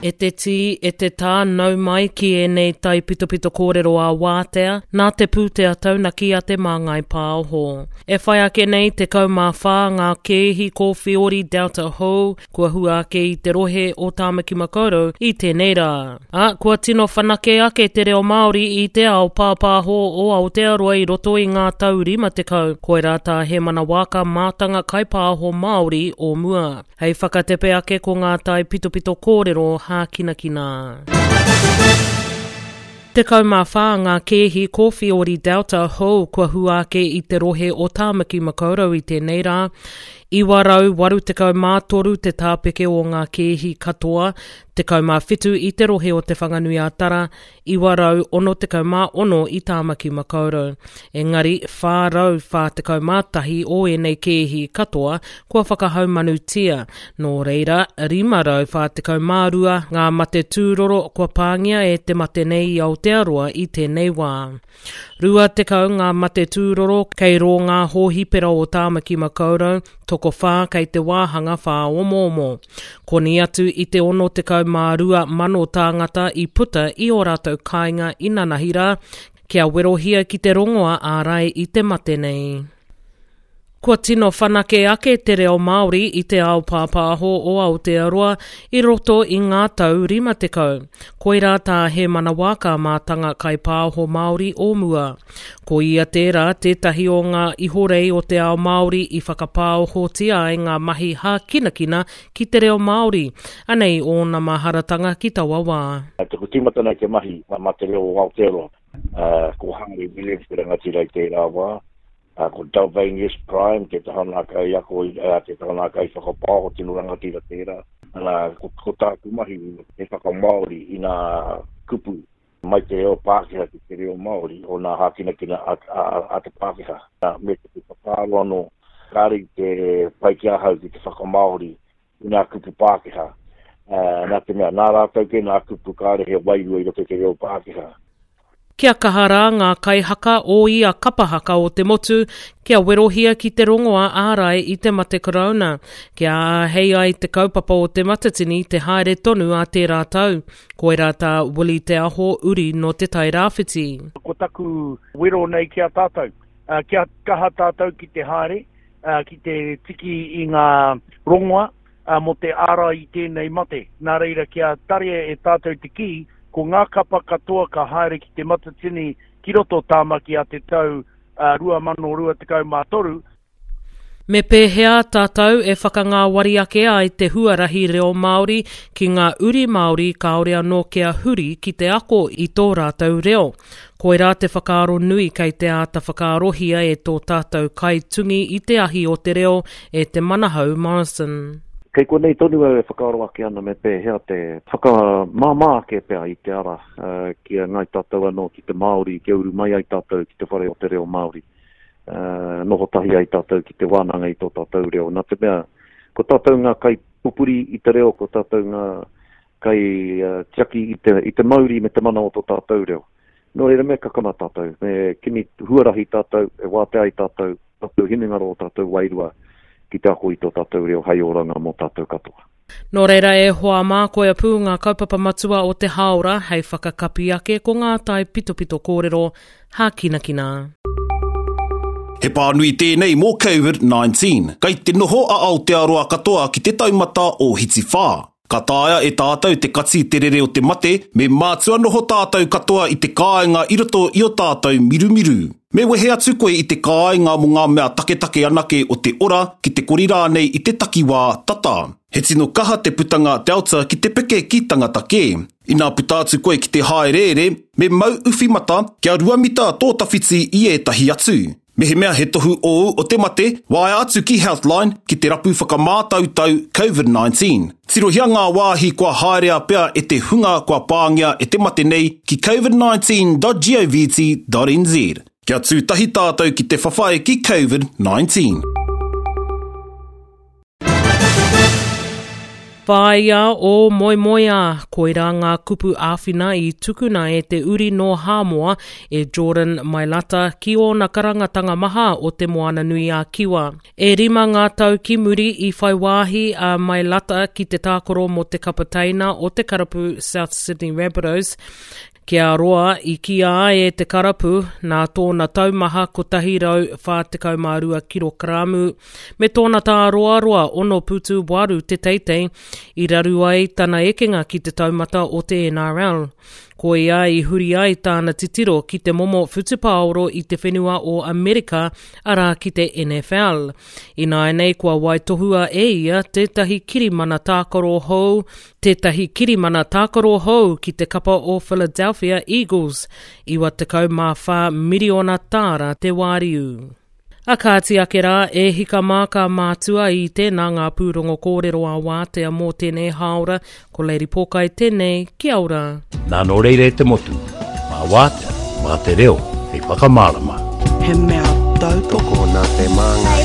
E te tī, e te tā, nau mai ki ēnei taipitopito kōrero ā-wātea, nā te pūtea taunaki a Te Māngai Pāho. E whai ake nei 14 ngā kēhi kōwhiori Delta hou kua hua ake i te rohe o Tāmaki Makaurau i tēnei rā. Ā, kua tino whanake ake te reo Māori i te ao pāpāho o Aotearoa i roto i ngā tau 50, koirā tā Hēmana Waaka mātanga kaipāho Māori o mua. Hei whakatepe ake ko ngā taipitopito kōrero hākinakina. 14 ngā kēhi kōwhiori Delta hou kua hua ake i te rohe o Tāmaki Makaurau i tēnei rā. 983 te tāpeke o ngā kēhi katoa, 17 i te rohe o Te Whanganui-a-Tara, 966 i Tāmaki Makaurau. Engari, 441 o ēnei kēhi katoa kua whakahaumanutia, nō reira, 542 ngā mate tūroro kua pāngia e te mate nei i Aotearoa i tēnei wā. 20 ngā mate tūroro kei rō ngā hōhipera o Tāmaki Makaurau, tokowhā kei te wāhanga whāomoomo. Koni atu i te 62,000 tāngata i puta i ō rātou kāinga inanahi rā, kia werohia ki te rongoa ārai i te mate nei. Kua tino whanake ake te reo Māori i te ao pāpāho o Aotearoa i roto i ngā tau 50. Koirā tā Hēmana Waaka mātanga kaipāho Māori o mua. Ko ia tērā tētahi o ngā ihorei o te ao Māori i whakapāohotia ai ngā mahi hākinakina ki te reo Māori. Anei ōna maharatanga ki taua wā. Taku tīmatanga i te mahi mā te reo o Aotearoa, ko Hāri Williams te rangatira i tērā wā. Ā, ko Dalvanius Prime te taha nā kaiako, ā, te taha nā kaiwhakapaoho tino rangatira tērā. Ana, ko, ko tāku mahi he whakamāori i nā kupu mai te reo Pākehā ki te reo Māori o nā hākinakina a, a, a te Pākehā. Nā, me te whakaaro anō, kāre i te pai ki ahau ki te whakamāori i nā kupu Pākehā. Ā, nā te mea, nā rātou kē nā kupu kāre he wairua i roto i te reo Pākehā. Kia kaha rā ngā kaihaka o ia kapa haka o te motu kia werohia ki te rongoa ārai i te mate korouna, kia āhei ai te kaupapa o Te Matatini te haere tonu ā tērā tau. Koirā tā Willie Te Aho uri nō Te Tai Rāwhiti. Ko taku wero nei ki a tātou, kia kaha tātou ki te haere, ki te tiki i ngā rongoa mō te ārai i tēnei mate. Nā reira, kia tarea e tātou te kī, ko ngā kapa katoa ka haere ki Te Matatini ki roto o Tāmaki a te tau 2023. Me pēhea tātou e whakangāwari ake ai te huarahi reo Māori ki ngā uri Māori kāore anō kia huri ki te ako i tō rātou reo? Koirā te whakaaro nui kei te āta whakaarohia e tō tātou kaitungi i te ahi o te reo, e Te Manahau Morrison. Kei konei tonu au e whakaaro ake ana me pēhea te whakamāmā ake pea i te ara ki a Ngāi Tātou anō, ki te Māori, kia uru mai ai tātou ki te whare o te reo Māori, noho tahi ai tātou ki te wānanga i tō tātou reo. Nā te mea, ko tātou ngā kaipupuri i te reo, ko tātou ngā kaitiaki i te, i te mauri me te mana o tō tātou reo. Nō reira me kakama tātou, me kimi huarahi tātou, e wātea ai tātou, tātou hinengaro, o tātou wairua ki te ako i tō tātou reo hei oranga mō tātou katoa. Nō reira e hoa mā, koia pū ngā kaupapa matua o te hāora hei whakakapi ake ko ngā taipitopito kōrero hākinakina. He pānui tēnei mō Covid-19. Kei te noho a Aotearoa katoa ki te taumata o Hiti-whā. Ka taea e tātou te kati te rere o te mate, me mātua noho tātou katoa i te kāinga i roto i o tātou mirumiru. Me wehe atu koe i te kāinga mō ngā mea taketake anake o te ora, ki te kori rānei i te takiwā tata. He tino kaha te putanga Delta ki te peke ki tangata kē. Inā puta atu koe ki te hāereere, me mau uwhi mata kia ruamita tō tawhiti i ētahi atu. Mehemea he tohu ōu o te mate, waea atu ki Healthline ki te rapu whakamātautau Covid-19. Tirohia ngā wāhi kua haerea pea e te hunga kua pāngia e te mate nei ki covid19.govt.nz. Kia tū tahi tātou ki te whawhai ki Covid-19. Whāia ō moemoeā, koirā ngā kupu āwhina i tukuna e te uri nō Hāmoa, e Jordan Mailata, ki ōna karangatanga maha o Te Moananui-a-Kiwa. E rima ngā tau ki muri i whai wāhi a Mailata ki te tākaro mō te kapa teina o te karapu South Sydney Rabbitohs, Kia roa i kīa ai e te karapu, nā tōna taumaha 142 kirokaramu me tōna tāroaroa 6 putu 8 te teitei, i raru ai tana ekenga ki te taumata o te NRL. Koia i huri ai tāna titiro ki te momo whutupaoro i te whenua o Amerika, arā ki te NFL. Ināianei kua waitohua e ia tētahi kirimana tākaro hou tētahi kirimana tākaro hou ki te kapa o Philadelphia Eagles, 94 miriona tāra te wāriu. A kāti ake rā, e hika mā ka mātua i tēnā ngā pūrongo kōrero a wātea mō tēnei hāora, ko Lady Pōkai tēnei, kia ora. Nā nō reira e te motu, mā wātea, mā te reo, hei whakamārama. He mea tautoko Tokona te māngai.